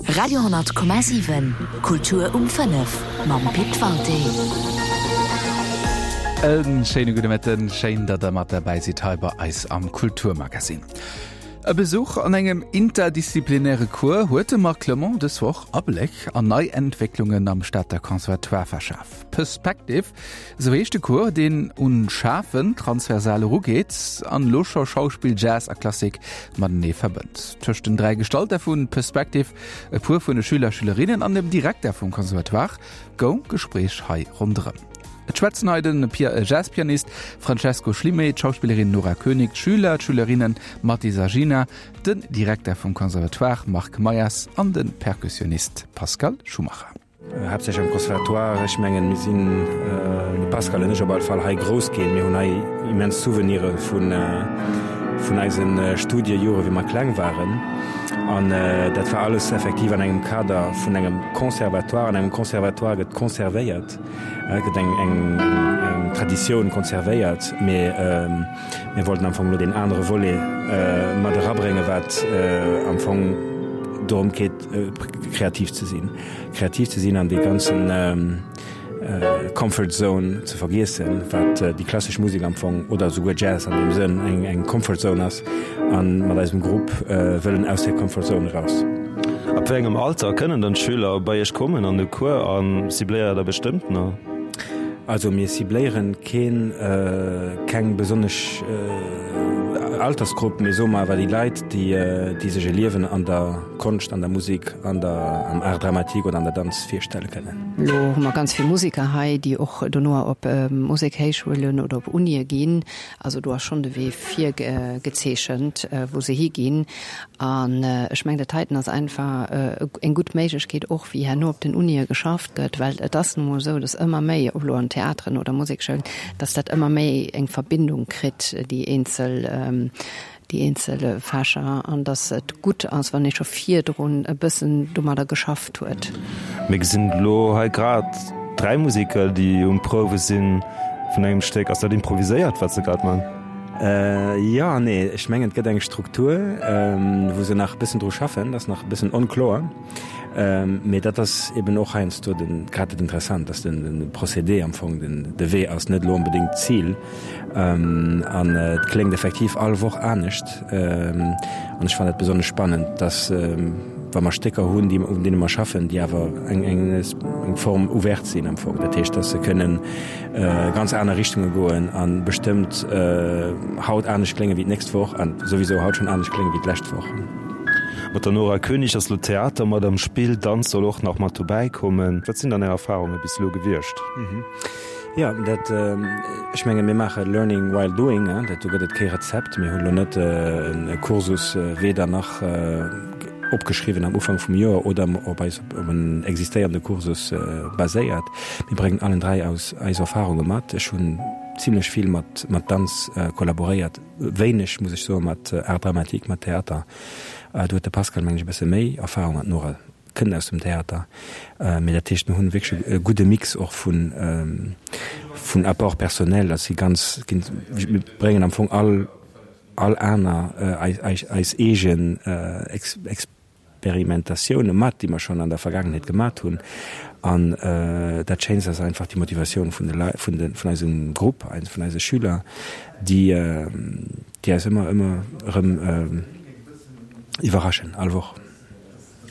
Radio 10,7 Kultur um 5 mam Pit Walté. E schéine gudde Mëtten, schéin, datt der mat derbäi sidd hei bei eis am Kulturmagazin. E Besuch an engem interdisziplinäre Cours huet de Marc Clement dës Woch Abléck an nei Entwécklungen am Stater Conservatoire verschaf. Perspective, esou heescht de Cours, deen un Schafen transversal erugeet an elo scho Schauspill, Jazz a Klassik matenee verbënnt. Tëscht den 3 Gestalter vu Perspective, e puer vun de Schüler, Schülerinnen an dem Direkter vum Conservatoire goung d'Gespréich hei ronderëm. Et schwätzen hei de Jazzpianist Francesco Schlimé, d'Schauspillerin Nora Koenig, d'Schüler, d'Schülerinnen Mathis a Gina, den Direkter vum Conservatoire Marc Meyers an de Perkussionist Pascal Schumacher. Haaptsächlech am Conservatoire. Ech mengen, mir sinn, de Pascal an ech op alle Fall, hei grouss ginn. Mir hunn hei immens Souvenire vun eise Studiejore wéi mer kleng waren. An dat war alles effektiv an engem Kader vun engem Conservatoire. An engem Conservatoire gëtt conservéiert. Et gëtt eng eng Traditioun konservéiert, mee mir wollten am Fong elo deen anere Volet mat erabréngen, wat am Fong dorëm geet, kreativ ze sinn. Kreativ ze sinn an dee ganzen Comfort Zone ze vergiessen, wat déi klassesch Musek am Fong, oder esouguer Jazz an deem Sënn, eng eng Comfort Zone ass. A mat eisem Grupp wëllen aus där Comfort Zone eraus. Ab wéi engem Alter kënnen dann d'Schüler bei Iech kommen an de Cours a cibléiert der bestëmmtener? Also mir cibléieren keen, keng besonnesch Altersgrupp, mee soe mer awer déi Leit, déi déi sech e Liewen an der Konscht, an der Musek, an der, am Art dramatique oder an der Danz virstelle kënnen. Elo hu mer ganz vill Museker hei, déi och dono op Musekhéichschoulen oder op Unie ginn. Also do ass schonn de Wee virgezeechent, wou se higinn. An ech mengen, dat heiten ass einfach eng gutt Méiglechkeet och, wéi herno op den Unie geschafft gëtt, well et ass nu mol esou, dass ëmmer méi, ob elo an Theateren oder Musekschoulen, dass dat ëmmer méi eng Verbindung kritt, déi eenzel, déi eenzel Fächer, an dass et gutt ass, wann ee scho virdrun e bëssen domadder geschafft huet. Mir gesinn elo hei grad 3 Museker, déi um Prouwe sinn vun engem Stéck. Ass dat improviséiert, wat se grad man? Jo an nee. Ech mengen, et gëtt eng Struktur, wou se nach e bëssen dru schaffen. Dat ass nach e bëssen onkloer. Mee dat ass eben och heiansdo de grad dat Interessant, dass de Procédé am Fong den de Wee ass, net elo onbedéngt d'Zil. An et kléngt effektiv all Woch anescht. An ech fannen dat besonnesch spannend, dass wa mer Stécker hunn, déi un deene mer schaffen, déi awer eng eng Forme ouverte sinn am Fong. Dat heescht, dass se kënnen ganz aner Richtunge goen a bestëmmt haut anescht klénge wéi d'nächst Woch an souwisou haut schonn anescht klénge wéi d'lescht Woch. Mat der Nora Koenig ass elo Theater mat am Spill, Danz soll och nach mat dobäi kommen. Wat sinn dann Är Erfarunge bis elo gewiescht? Jo, dat, ech menge mir maache learning while doing, dat do gëtt et kee Rezept. Mir hunn elo net e Kursus weder nach opgeschriwwen am Ufank vum Joer oder op eis op en existéierende Kursus baséiert. Mir bréngen allen 3 aus eis Erfarunge mat. Ech hunn zimlech vill mat mat Danz kollaboréiert, wéineg, muss ech soen, mat Art dramatique, mat Theater. Do huet de Pascal, mengen ech, e bësse méi Erfarung an d'Nora kënnt aus dem Theater. Mee dat heescht, mir hunn wierklech e gudde Mix och vun vun Apport personnel. Dat si ganz, mir bréngen am Fong all all aner eis eis eegen Experimentatioune mat, déi mer schonn an der Vergaangenheet gemat hunn. An dat Schéinst ass einfach déi Motivatioun vun de Leit, vun de vun eisem Grupp, vun eise Schüler, déi déi eis ëmmer ëmmer erëm iwwerraschen, all Woch.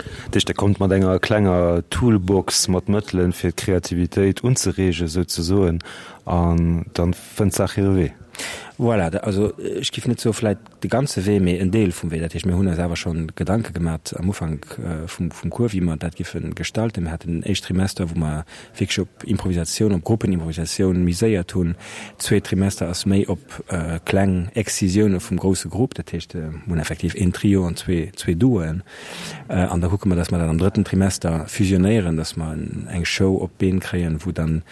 Dat heescht, Der kommt mat enger klenger Toolbox mat Mëttelen, fir d'Kreativitéit unzereegen, souzesoen, an dann fënnt d'Saach hire Wee. Voilà, also ech géif net soe vläit de ganze Wee, mee en Deel vum Wee. Dat heescht, mir hunn eis awer scho Gedanke gemat am Ufank vum Cours, wéi mer dat géife gestalten. Mir haten en éischt Trimester, wou mer wierklech op Improvisatioun, op Gruppenimprovisatioun miséiert hunn. Zweet Trimester ass méi op kleng Excisioune vum grousse Grupp, dat heescht mir hunn effektiv een Trio an zwee Duoen. An da kucke mer, datt mer dat am drëtten Trimester fusionéieren, datt mer eng Show op d'Been kréien, wou dann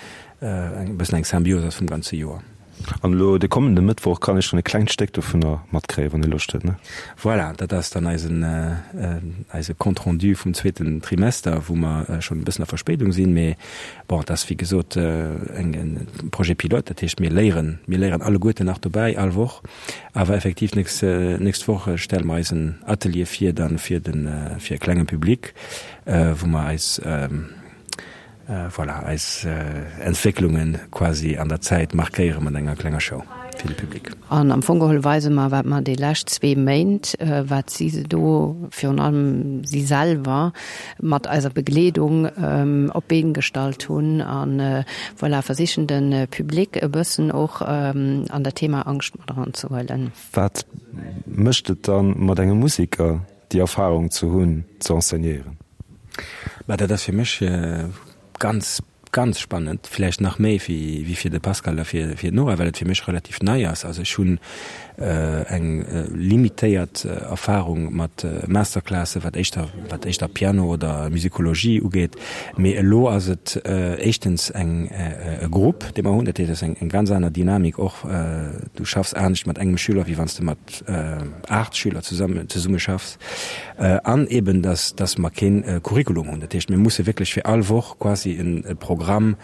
e bëssen eng Symbios ass vum ganze Joer. An elo de kommende Mëttwoch kann ee schonn e klengt Stéck dovunner matkréien, wann ee Loscht huet, ne? Voilà, dat ass dann eisen, eise Compte rendu vum zweeten Trimester, wou mer schonn e bëssen a Verspéidung sinn. Mee bon, et ass wéi gesot eng, e Projet pilote, dat heescht mir léieren, mir léieren alleguerten nach dobäi, all Woch. Awer effektiv nächst, nächst Woch stelle mer eisen Atelier vir dann fir den, fir e klenge Public, wou mer eis, Voilà, eis Entwécklunge quasi an der Zäit markéiere mat enger klenger Show fir de Public. An am Fong geholl weise mer, wat mer déi lescht zwee Méint, wat si do, virun allem si selwer, mat eiser Begleedung op d'Been gestallt hunn. A voilà, versichen de Public e bëssen och an dat Thema Angscht mat eranzehuelen. Wat mécht et dann mat engem Museker, déi Erfahrung ze hunn, ze enseignéieren? Bah, dat ass fir mech ganz, ganz spannend, vläicht nach méi wéi wéi fir de Pascal a fir fir d'Nora, well et fir mech relativ nei ass. Also ech hunn eng limitéiert Erfahrung mat Masterclassen, wat éischter wat éischter Piano oder Musicologie ugeet. Mee elo ass et éischtens eng e Grupp, dee mer hunn, dat heescht, et ass eng eng ganz aner Dynamik och. Du schaffs anescht mat engem Schüler, wéi wann s de mat 8 Schüler zesammen, zesumme schaffs an eben dass, dass mer keen Curriculum hunn. Dat heescht, mir musse wierklech fir all Woch quasi en Programm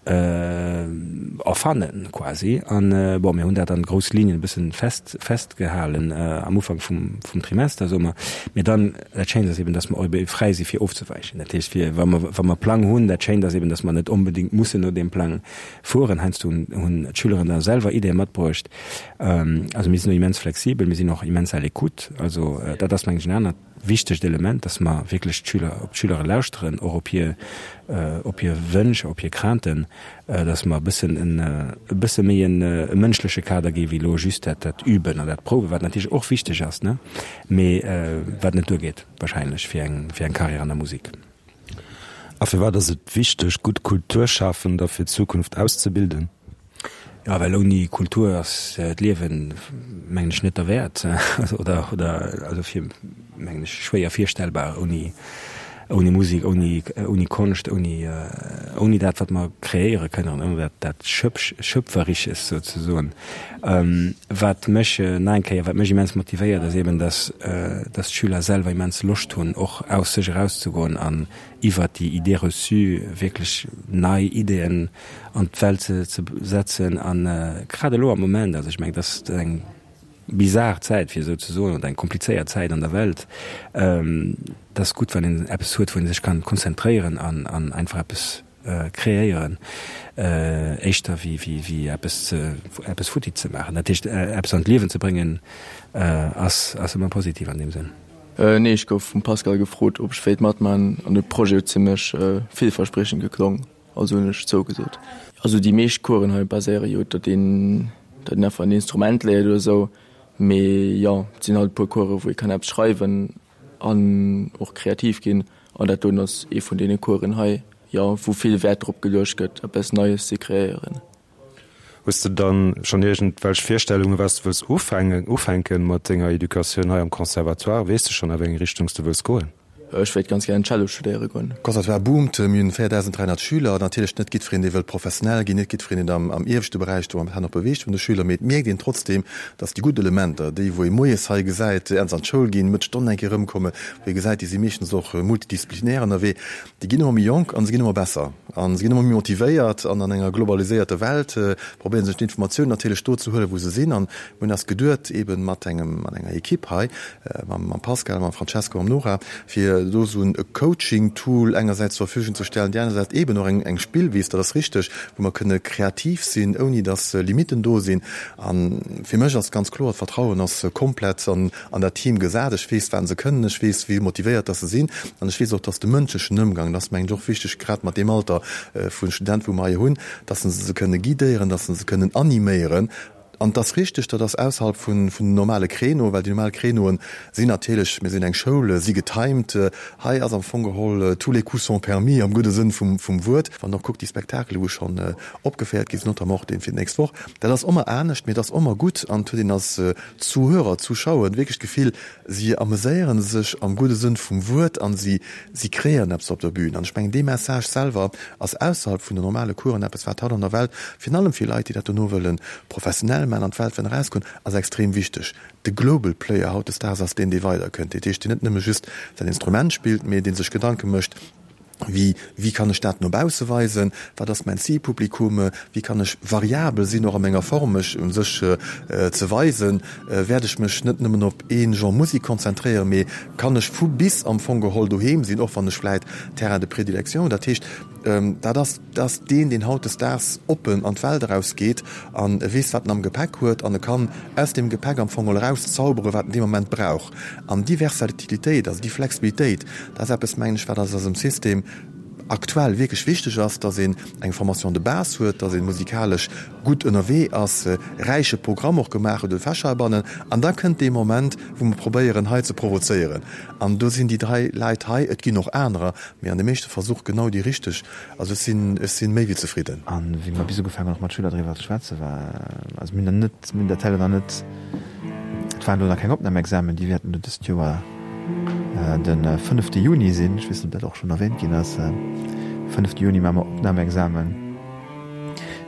erfannen quasi. An bon, mir hunn dat an grouss Linien e bëssen fest, festgehalen am Ufank vum, vum Trimester, soe mer. Mee dann, dat Schéint ass eben, dass mer och ebe fräi si fir ofzewäichen. Dat heescht, fir wa mer, wa mer Plang hunn, dat Schéint ass eben, dass mer net onbedéngt mussen no deem Plang fueren. Heiansdo hunn, hunn d'Schüleren da selwer Ideeë matbruecht. Also mir sinn do immens flexibel, mir sinn och immens à l'écoute. Also dat ass mengen ech en anert wichtegt Element, dass mer wierklech d'Schüler, op d'Schülere lauschteren, och op hir, op hir Wënsch, op hir Crainten, dass mer e bëssen en, e bësse méi en e mënschleche Kader gi wéi elo just dat, dat Üben an dat Prouwen, wat natierlech och wichteg ass, ne, mee wat net duergeet wahrscheinlech fir eng, fir eng Carrière an der Musek. A firwat ass et wichteg, gutt Kulturschafender fir d'Zukunft auszebilden? Jo, well ouni Kultur ass d'Liewen, mengen ech, net derwäert oder, oder also fir, mengen ech, schwéier virstellbar ouni, ouni Musek, ouni, ouni Konscht, ouni, ouni dat, wat mer kreéiere kënnen, ouni dat, dat Schöpf, Schöpferisches souzesoen. Wat mech nach eng Kéier, wat mech immens motivéiert, ass eben, dass, dass d'Schüler selwer immens Loscht hunn, och aus sech erauszegoen an iwwert déi Idées reçues wierklech nei Ideeën an d'Welt ze, ze setzen. An grad elo am Moment, also ech mengen, dat ass eng bizar Zäit, fir esou ze soen, oder eng komplizéiert Zäit an der Welt, et ass gutt, wann een eppes huet, wou ee sech kann konzentréieren an, an einfach eppes kreéieren, éischter wéi, wéi, wéi eppes ze, eppes futti ze maachen. Dat heescht, eppes an d'Liewen ze bréngen, ass, ass ëmmer positiv an deem Sënn. Nee, ech gouf vum Pascal gefrot, ob ech wéilt matman an de Projet huet zimmlech villverspriechend geklong, also hunn ech zougesot. Also déi meescht Coursen hei baséiere jo, datt een, datt een einfach en Instrument léiert oder esou, mee jo, et sinn halt e puer Coursen, wou ee kann eppes schreiwen an och kreativ ginn an dat doen ass ee vun deene Coursen hei, jo, wou vill Wäert drop geluecht gëtt, eppes Neies ze kreéieren. Hues de dann schonn iergendwelch Virstellungen, wat s de wëlls ufänken mat denger Educatioun hei am Conservatoire? Weess de schonn, a wéi eng Richtung s de wëlls goen? Ech wéilt ganz gären Cello studéiere goen. Conservatoire boomt, mir hunn 4.300 Schüler. Natierlech net jiddwereen, dee wëllt professionell ginn, net jiddwereen, deen am am ieweschte Beräich do am Tenor beweegt vun de Schüler, mee et mierkt een trotzdeem, datt déi gutt Elementer, déi wou ee moies hei gesäit, ernst an d'Schoul ginn, mëtt Stonn eng Kéier erëmkommen, wou ee gesäit, déi si meeschtens och multidisziplinär ënnerwee, Déi ginn ëmmer méi jonk an se ginn ëmmer besser an se ginn ëmmer méi motivéiert an an enger globaliséierter Welt probéieren sech d'Informatiounen natierlech do ze huelen, wou se sinn. An mir hunn eis geduet, eeben mat engem, mat enger Equipe hei, mam mam Pascal, mam Francesco, mam Nora, fir do esou en Coaching-Tool engersäits zur Verfügung ze stellen, déi anersäits eeben och eng eng Spillwiss, dat ass richteg, wou mer kënne kreativ sinn, ouni datt Limitten do sinn. A fir mech ass ganz kloer, d'Vertrauen ass komplett an an dat Team gesat. Ech weess, wat se kënnen, ech weess, wéi motivéiert dass se sinn an ech weess och, dass de mënschlechen Ëmgang, dat ass mengen ech och wichteg, grad mat deem Alter vu Student, wou mer hei hunn, dass se se kënne guidéieren, dass se se kënnen animéieren. An et ass richteg, dat ass ausserhalb vun den normale Créneauen, well déi normal Créneauen sinn natierlech, mir sinn eng Schoul, si getimed. Hei ass am Fong geholl tous les coups sont permis am gudde Sënn vum Wuert. Wann Der och kuckt, déi Spektakele wou schonn opgeféiert gi sinn, notamment och dee fir d'nächst Woch, dat ass ëmmer anescht, mee et ass ëmmer gutt an et huet een als Zuhörer, Zuschauer wierklech d'Gefill, si ameséiere sech am gudde Sënn vum Wuert an si kreéieren eppes op der Bühn. An ech mengen, dee Message selwer ass ausserhalb vun den normale Coursen eppes, wat haut an der Welt, virun allem fir Leit, déi dat dono wëlle professionell maachen, an d'Welt wëllen erausgoen, ass extrem wichteg. De Global Player hautdesdaags ass deen, dee weiderkënnt, dat heescht, deen net nëmme just säin Instrument spillt, mee dee sech Gedanke mécht, Wéi, wéi kann ech dat no bausse weisen? Wat ass mäin Zilpublikum? Wéi kann ech variabel sinn och a menger Form, mech u sech ze weisen? Wäert ech mech net nëmmen op ee Genre Musek konzentréieren, mee kann ech vu bis am Fong geholl doheem sinn, och wann ech vläit Terrain de prédilection hunn? Dat heescht, dat ass, dat ass deen, deen hautdesdaags oppen an d'Welt erausgeet an e weess, wat en am Gepäck huet an e kann aus deem Gepäck am Fong geholl erauszauberen, wat en dee Moment brauch. An déi Versatilitéit, also déi Flexibilitéit, dat ass eppes, mengen ech, wat eis eisem System aktuell wierklech wichteg ass, dass een eng Formation de base huet, dass ee musikalesch gutt ënnerwee ass, e räiche Programm och gemaach huet, de Fächer abannen. An da kënnt dee Moment, wou mer probéieren, hei ze provozéieren. An do sinn déi dräi Leit hei, et ginn och anerer, mee an de meeschte Versuch genau déi richteg. Also ech sinn, ech sinn méi wéi zefridden. A wéi mer bis ugefaangen hunn och mat Schüler driwwer ze schwätzen, war, also mir hunn der net, mir hunn dat Teil nach net, Et waren elo nach keng Opnamexamen, déi wäerten elo dëst Joer de fënnefte Juni sinn. Ech weess net, ob dat och schonn erwähnt ginn ass. Fënnefte Juni maache mer Opnamexamen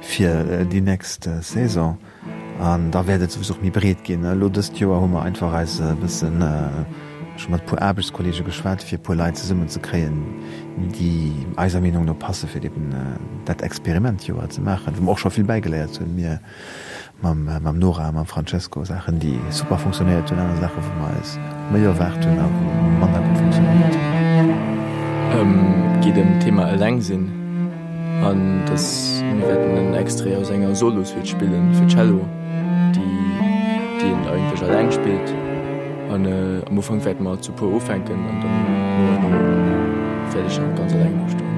fir déi nächst Saison an da wäert et souwisou och méi breet ginn. Elo dëst Joer hu mer einfach eis e bëssen scho mat e puer Aarbechtskolleege geschwat, fir e puer Leit zesummen ze kréien, déi eiser Meenung no passe fir eben dat Experimentjoer ze maachen, wou mer och scho vill bäigeléiert hunn. Mir Mam Nora a mam Francesco, Saachen déi super funktionéiert hunn, aner Saachen wou mer eis méi erwaart hunn a wou manner gutt funktionéiert hunn. Et geet ëm d'Thema Eleng sinn an dass mir wäerten en Extrait aus enger Solo-Suite spillen fir Cello, déi déi een eigentlech eleng spillt. An am Ufank wäerte mer zu puer ufänken an dann no an no wäert ech dann ganz eleng do stoen.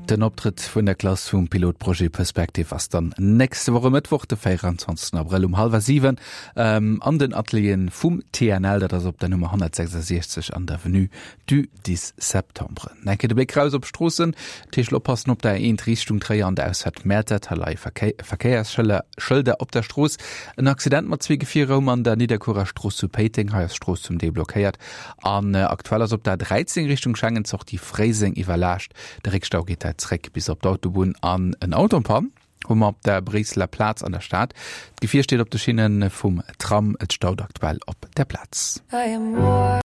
Den Optrëtt vun der Klass vum Pilotprojet Perspective ass dann nächste Woch e Mëttwoch, de 24 Abrëll um hallwer 7 an den Atelieren vum TNL, dat ass op der Nummer 166 an der Avenue du 10 Septembre. Nach eng Kéier de Bléck raus op d'Stroossen, dat heescht oppassen op der A1 Richtung Tréier an der Ausfahrt Mäertert, hei leie Verkéiersschëlder Schëlder op der Strooss. En Accident mat zwee Gefierer um an der Nidderkuerer Strooss zu Péiteng, hei ass d'Strooss zum Deel blockéiert. An aktuell ass op der A13 Richtung Schengen d'Sortie Fréiseng iwwerlaascht. De Réckstau geet hei zréck bis op d'Autobunn an en Auto en panne hu mer op der Bréisseler Plaz an der Stad. D'Gefier steet op de Schinne vum Tram, et staut aktuell op der Plaz.